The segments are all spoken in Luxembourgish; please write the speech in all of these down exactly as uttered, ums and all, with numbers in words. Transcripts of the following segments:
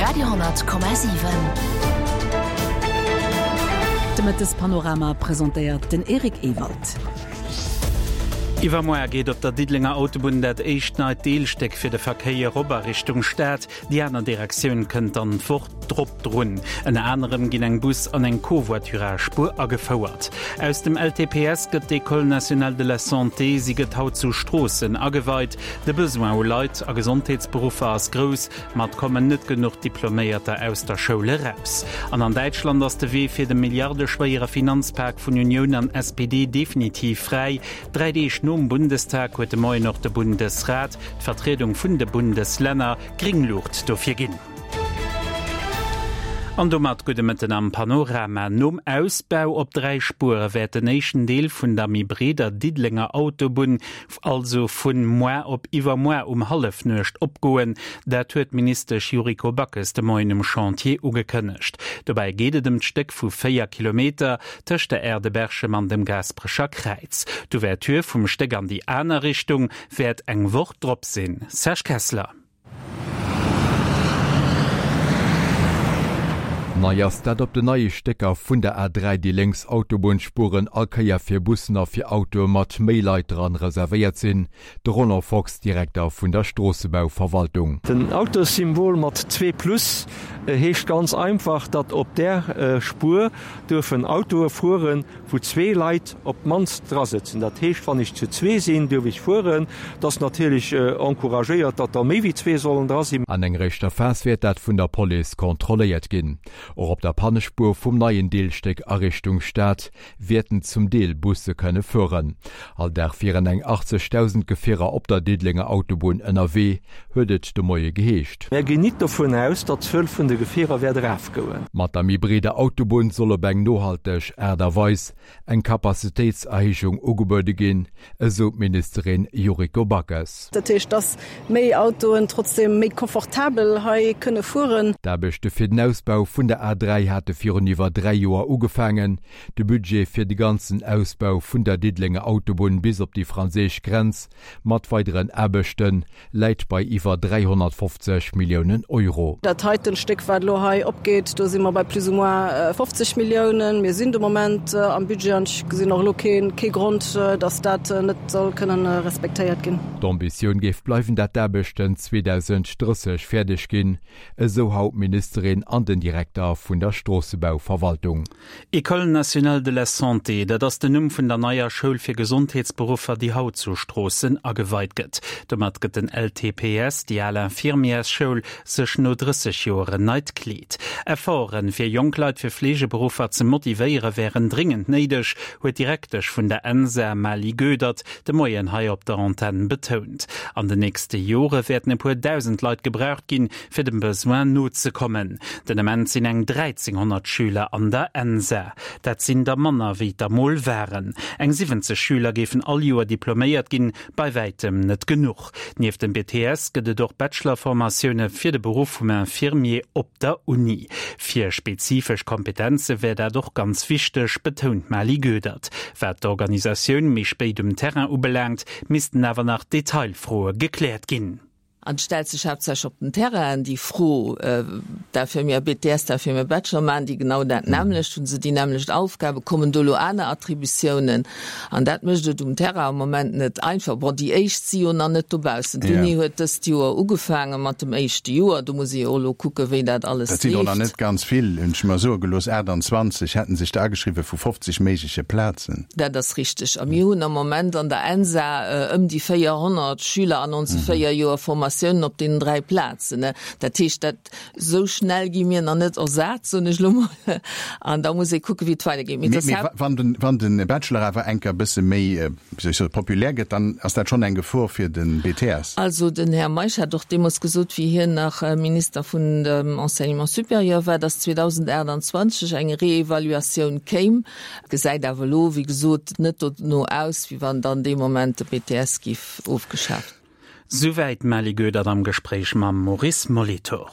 Radio honnert Komma siwen. De Mëttespanorama presentéiert den Eric Ewald. Iwwermoar geet op der Diddelenger Autobunn dat éischt neit Deelstéck fir de Verkéier op a Richtung Stad. Déi aner Direktioun kënnt dann d'Woch drop drun. Ënner anerem ginn eng Bus an eng Covoiturage-Spuer agefouert. Aus dem L T P S gëtt d'École nationale de la santé. Si gëtt haut zu Stroossen ageweit. De Besoin u Leit a Gesondheetsberuffer ass grouss, ma et kommen net genuch Diploméierter aus der Schoul eraus. An an Däitschland ass de Wee fir de milliardeschwéiere Finanzpak vun Unioun an S P D definitiv fräi. Dräi Deeg nom Bundestag huet de Moien och de Bundesrat, d'Vertriedung vun de Bundeslänner, gréng Luucht dofir ginn. An domat gudde Mëtten am Panorama. Nom Ausbau op dräi Spuere wäert den éischten Deel vun der méi breeder Diddelenger Autobunn also vun muer op iwwermuer um Hallefnuecht opgoen. Dat huet d'Ministesch Yuriko Backes de Moien um Chantier ugekënnegt. Dobäi geet et ëm d'Stéck vu véier Kilometer tëscht der Aire de Berchem an dem Gaasperecher Kräiz. D'Ouverture vum Stéck an déi aner Richtung wäert eng Woch drop sinn. Serge Kessler. Nei ass, dat op den neie Stécker vun der A dräi déi lénks Autobunnspuren all Kéier fir Bussen a fir Autoe mat méi Leit dran reservéiert sinn. De Roland Fox, Direkter vun der Stroossebauverwaltung. Den Autossymbol mat zwee Plus heescht ganz einfach, datt op där Spuer duerfen Autoe fueren, wou zwee Leit op d'mannst drasëtzen. Dat heescht, wann ech zu zwee sinn, duerf ech fueren. Et ass natierlech encouragéiert, datt der méi wéi zwee sollen dra sinn. An enger éischter Phas wäert dat vun der Police kontrolléiert ginn. Och op der Pannespuer vum neien Deelstéck a Richtung Stad wäerten zum Deel Busse kënne fueren. All Dag wieren eng achtzegdausend Gefierer op der Diddelenger Autobunn ënnerwee, huet et de Moie geheescht. Mär ginn nit dovun aus, datt d'Zuel vun de Gefierer wäert erafgoen. Mat der méi breeder Autobunn soll op eng nohalteg Aart a Weis eng Capacitéitserhéijung ugebuede ginn, esou d'Ministerin Yuriko Backes. Dat heescht, dass méi Autoen trotzdem méi komfortabel hei kënne fueren. D'Aarbechte fir den Ausbau vun der A dräi hate virun iwwer dräi Joer ugefaangen. De Budget fir de ganzen Ausbau vun der Diddelenger Autobunn bis op déi franséisch Grenz mat weideren Aarbechte läit bei iwwer dräihonnertfofzeg Milliounen Euro. Dat heiten Stéck, wat elo hei opgeet, do si mer bei plus ou moins fofzeg Milliounen. Mir sinn de Moment am Budget an ech gesinn och elo kee Grond, datt dat net soll kënnen respektéiert ginn. D'Ambitioun géif bleiwen, dat d'Aarbechten zweedausenddrësseg fäerdeg ginn, esou haut d'Ministerin an den Direkter vun der Stroossebauverwaltung. École nationale de la santé, dat ass den Numm vun der neier Schoul fir Gesondheetsberuffer, déi haut zu Stroossen ageweit gëtt. Domat gëtt den L T P S, déi al Infirmièrsschoul, sech no drësseg Joer en neit Kleed. Efforten, fir jonk Leit fir Fleegeberuffer ze motivéiere wären dringend néideg, huet d'Direktesch vun der ENSA Mali Goedert de Moien hei op der Antenn betount. An den nächste Jore wäerten e puer dausend Leit gebraucht ginn, fir dem Besoin nozekommen. Den Ament sinn eng dräizénghonnert Schüler an der ENSA. Dat sinn der manner wéi et der mol waren. Eng siwwenzeg Schüler géifen all Joer diploméiert ginn, bei wäitem net genuch. Nieft dem B T S gëtt et och Bachelor-Formatioune fir de Beruff vum Infirmier op der Uni. Fir spezifesch Kompetenze wär dat och ganz wichteg, betount d'Mali Goedert. Wat d'Organisatioun méi spéit um Terrain ubelaangt, missten awer nach Detailfroe gekläert ginn. An stellt sech haaptsächlech op den Terrainen déi Fro, d'Infirmière B T S, d'Infirmière Bachelor, maachen déi genau dat nämmlecht, hu se déi nämmlecht Aufgaben, kommen do elo aner Attributiounen? An dat mécht et um Terrain am Moment net einfach. Bon, déi éischt si jo nach net dobaussen. D'Uni huet dëst Joer ugefaange mat dem éischte Joer, do muss ee jo och elo kucken, wéi dat alles Dat sinn och nach leeft. net ganz vill, hunn ech mer soe gelooss, aachtanzwanzeg hätte sech da ageschriwwen vu fofzeg méigleche Plazen. Dat ass richteg. A mir hunn am Moment an der ENSA ëm déi véierhonnert Schüler an onse véier Joer Formatiounen op deenen dräi Plazen. Dat heescht, dat esou schnell gi mir nach net ersat, soen ech elo mol. An da muss ee kucken, wéi et weidergeet. Mee Mee, et ass mee haupt. wann den, wann den Bachelor awer enker bësse méi, wéi soll ech soen, populär gëtt, dann ass dat schonn eng Gefor fir den B T S. Also den Här Meisch hat och deemools gesot, wéi hien nach Minister vun dem Enseignement supérieur war, dass zweedausendaachtanzwanzeg eng Reevaluatioun kéim. Gesäit awer elo, wéi gesot, net dono aus, wéi wann dann dee Moment de B T S géif ofgeschaaft. Souwäit d'Mally Goedert am Gespréich mam Maurice Molitor.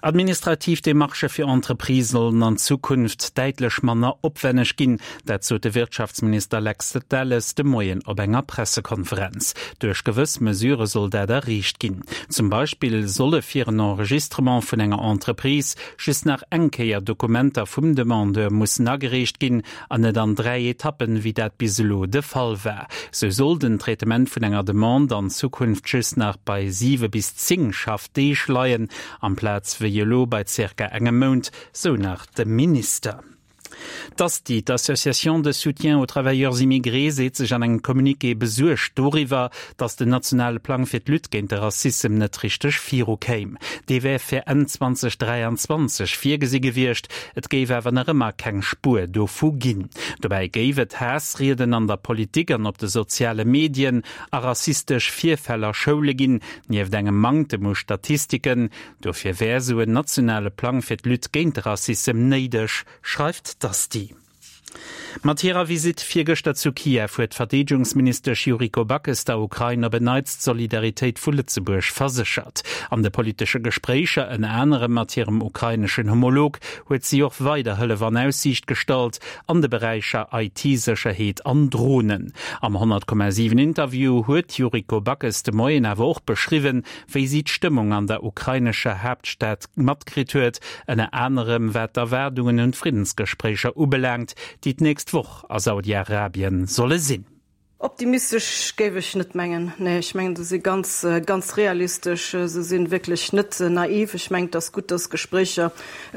Administrativ Demarchë fir Entreprisë sollen an Zukunft däitlech manner opwenneg ginn. Dat sot de Wirtschaftsminister Lex Delles de Moien op enger Pressekonferenz. Duerch gewëss Mesurë soll dat erreecht ginn. Zum Beispill solle fir en Enregistrement vun enger Entreprise just nach eng Kéier Dokumenter vum Demandeur mussen agereecht ginn an net an dräi Etappen, wéi dat bis elo de Fall war. Sou soll den Traitement vun enger Demande an Zukunft just nach bei siwe bis zéng Schaffdeeg leien, amplaz wéi elo bei zirka engem Mount, sou nach de Minister. D'ASTI, d'Association de soutien aux travailleurs immigrés, seet sech an engem Communiqué besuergt doriwwer, datt den nationale Plang fir d'Lutte géint de Rassissem net richteg viru kéim. Dee wär fir Enn zweitausenddräianzwanzeg virgesi gewiescht, et géif awer nach ëmmer keng Spuer dovu ginn. Dobäi géif et Haassrieden an der Politik an op de soziale Medien a rassistesch Virfäll a Schoule ginn, nieft engem Manktem u Statistiken. Dofir wär sou en nationale Plang fir d'Lutte géint de Rassissem néideg, schreift d'ASTI. Mat hirer Visitt virgëschter zu Kiew huet d'Verdeedegungsministesch Yuriko Backes der Ukrain op en Neits d'Solidaritéit vu Lëtzebuerg verséchert. An de politesche Gespréicher, ënner anerem mat hirem ukraineschen Homolog, huet si och weider Hëllef an Aussiicht gestallt an de Beräicher I T-Sécherheet an Dronen. Am honnert Komma siwen Interview huet d'Yuriko Backes de Moien awer och beschriwwen, wéi si d'Stëmmung an der ukrainescher Haaptstad matkritt huet, ënner anerem wat d'Erwaardungen un d'Friddensgespréicher ubelaangt, déi d'nächst Woch a Saudi-Arabien solle sinn. Optimistesch géif ech net mengen. Nee, ech mengen, se si ganz, ganz realistesch. Se si wierklech net naiv. Ech mengen, et ass gutt, dass Gespréicher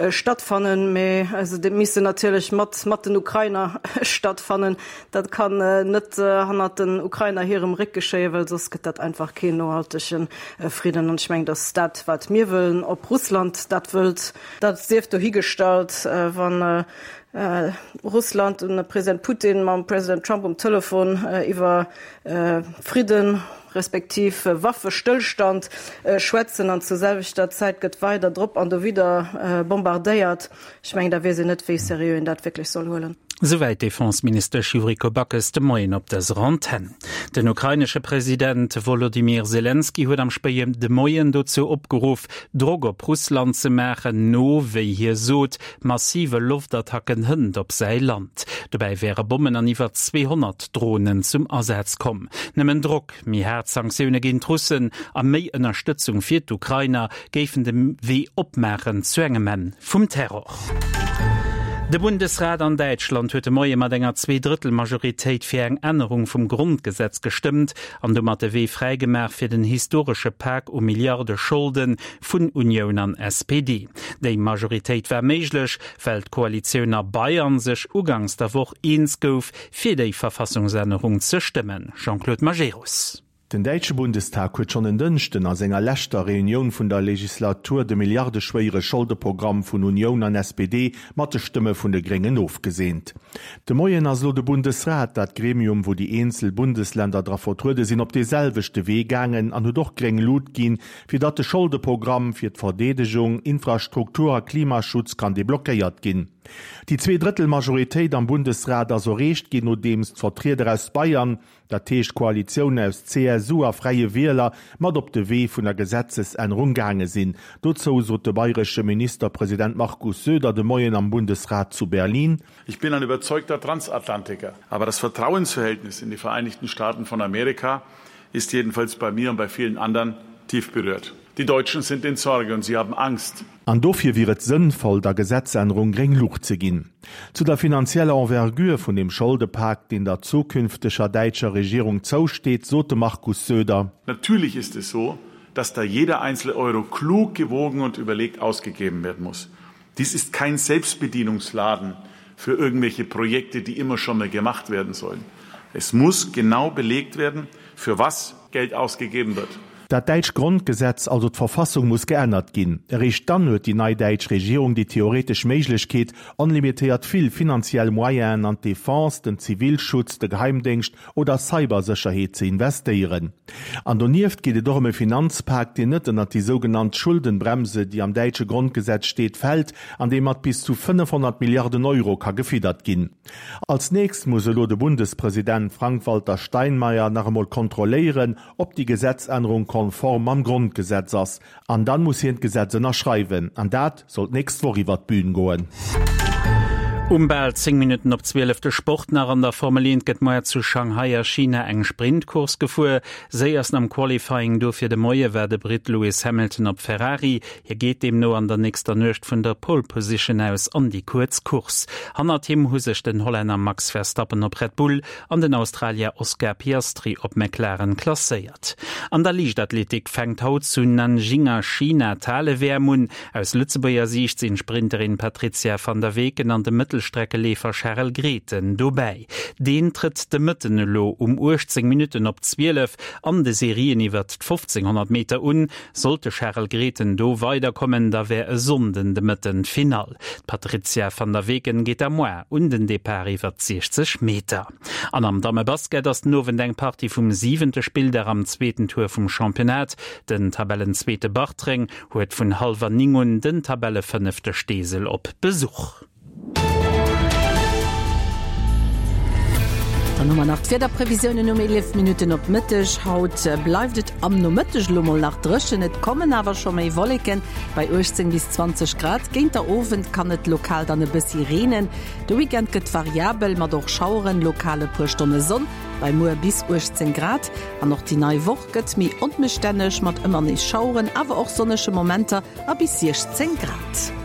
stattfannen, mee se missten natierlech mat, mat den Ukrainer stattfannen. Dat kann net hannert den Ukrainer hirem Réck geschéien, well soss gëtt dat einfach keen nohaltege Fridden. An ech mengen, dass dat, wat mir wëllen, ob Russland dat wëllt, dat sief dohigestallt, wann Russland an de President Putin mam President Trump um Telefon iwwer Fridden respektiv Waffestëllstand schwätzen an zur selwechter Zäit gëtt weider drop an dowidder bombardéiert. Ech mengen, da weess een net, wéi seriö een dat wierklech soll huelen. Souwäit d'Defenseministesch Yuriko Backes de Moien op dëser Antenn. Den ukrainesche President Wolodymyr Selenskyj huet am spéien de Moien dozou opgeruff, Drock op Russland ze maachen, no, wéi hie sot, massive Loftattacken hënt op säi Land. Dobäi wäre Bommen an iwwer zweehonnert Dronen zum Asaz komm. Nëmmen Drock, méi haart Sanktioune géint d'Russen a méi Ënnerstëtzung fir d'Ukrainer géifen de Wee opmaachen zu engem Enn vum Terror. De Bundesrat an Däitschland huet de Moie mat enger Zweedrëttelmajoritéit fir eng Ännerung vum Grondgesetz gestëmmt an domat de Wee fräigemaach fir den historesche Pak u Milliarde Scholde vun Unioun an S P D. Déi Majoritéit war méiglech, well d'Koalitioun a Bayern sech ugangs der Woch eens gouf, fir déi Verfassungsännerung ze stëmmen. Jean-Claude Majerus. Den däitsche Bundestag huet schonn en Dënschden a senger leschter Reunioun vun der Legislatur de milliardeschwéiere Scholdeprogramm vun Unioun an S P D mat de Stëmme vun de Gréngen ofgeseent. De Moien ass lo de Bundesrat, dat Gremium, wou déi eenzel Bundesländer dra vertruede sinn, op de selwechte Wee gaangen an huet och gréng Luucht ginn, fir datt de Scholdeprogramm fir d'Verdeedegung, Infrastruktur a Klimaschutz kann deblockéiert ginn. Déi Zweedrëttelmajoritéit am Bundesrat ass erreecht ginn, nodeems d'Vertrieder aus Bayern, dat heescht d'Koalitioun aus C S U a Fräie Wieler, mat op de Wee vun der Gesetzesännerung gaange sinn. Dozou sot de bayresche Ministerpresident Markus Söder de Moien am Bundesrat zu Berlin: Ich bin ein überzeugter Transatlantiker, aber das Vertrauensverhältnis in die Vereinigten Staaten von Amerika ist jedenfalls bei mir und bei vielen anderen tief berührt. Die Deutschen sind in Sorge und sie haben Angst. An dofir wier et sënnvoll, der Gesetzännerung gréng Luucht ze ginn. Zu der finanzieller Envergure vun dem Scholdepak, deen der zukünfteger däitscher Regierung zousteet, sot de Markus Söder: Natürlich ist es so, dass da jeder einzelne Euro klug gewogen und überlegt ausgegeben werden muss. Dies ist kein Selbstbedienungsladen für irgendwelche Projekte, die immer schon mal gemacht werden sollen. Es muss genau belegt werden, für was Geld ausgegeben wird. Dat däitscht Grondgesetz, also d'Verfassung, muss geännert ginn. Eréischt dann huet déi nei däitsch Regierung déi theoretesch Méiglechkeet, onlimitéiert vill finanziell Moyenen an d'Defense, den Zivilschutz, de Geheimdéngscht oder Cybersécherheet ze investéieren. An donieft geet et och ëm e Finanzpak, deen net ënnert déi sougenannt Schuldenbremse, déi am däitsche Grondgesetz steet, fält an dee mat bis zu fënnefhonnert Milliarden Euro ka gefiddert ginn. Als nächst muss elo de Bundespresident Frank-Walter Steinmeier nach emol kontrolléieren, ob déi Gesetzännerung konform mam Grondgesetz ass. An dann muss hien d'Gesetz ënnerschreiwen. An dat soll d'nächst Woch iwwert d'Bün goen. Um bal zéng Minutten op zwielef de Sport nach, An der Formel eent gëtt moar zu Shanghai a China eng Sprintcourse gefuer. Séiersten am Qualifying dofir de Moie war de Britt Lewis Hamilton op Ferrari. Hie geet deemno an der nächster Nuecht vun der Pole Position aus an déi kuerz Course. Hannert him hu sech den Hollänner Max Verstappen op Red Bull an den Australier Oscar Piastri op McLaren klasséiert. An der Liichtathletik fänkt haut zu Nanjing a China d'Hale-W M un. Aus Lëtzebuerger Siicht sinn d'Sprinterin Patrizia van der Weken an de Mëttelstreckeleefer Charel Grethen dobäi. Deen trëtt de Mëtten elo um uechtzéng Minutten op zwielef an de Serien iwwert d'fofzénghonnert Meter un. Sollt de Charel Grethen do weiderkommen, da wär e Sonnden de Mëtten d'Finall. D'Patrizia van der Weken geet da moar un den Depart iwwert d'siechzeg Meter. An am Dammebasket ass den Owend eng Partie vum siwente Spilldag am zweeten Tour vum Championnat. Den Tabellenzweete Bartreng huet vun hallwer néng un den Tabellefënnefte Steesel op Besuch. Dann hu mer nach d'Wiederprevisiounen um eelef Minutten op Mëtteg. Haut bleift et am Nomëtteg elo mol nach dréchen, et kommen awer scho méi Wolleken bei uechtzéng bis zwanzeg Grad. Géint der Owend kann et lokal dann e bëssi reenen. De Weekend gëtt variabel mat och Schaueren, lokal e puer Stonne Sonn bei muer bis uechtzéng Grad. An och déi nei Woch gëtt méi onbestänneg mat ëmmer nees Schaueren, awer och sonnege Momenter a bis siechzéng Grad.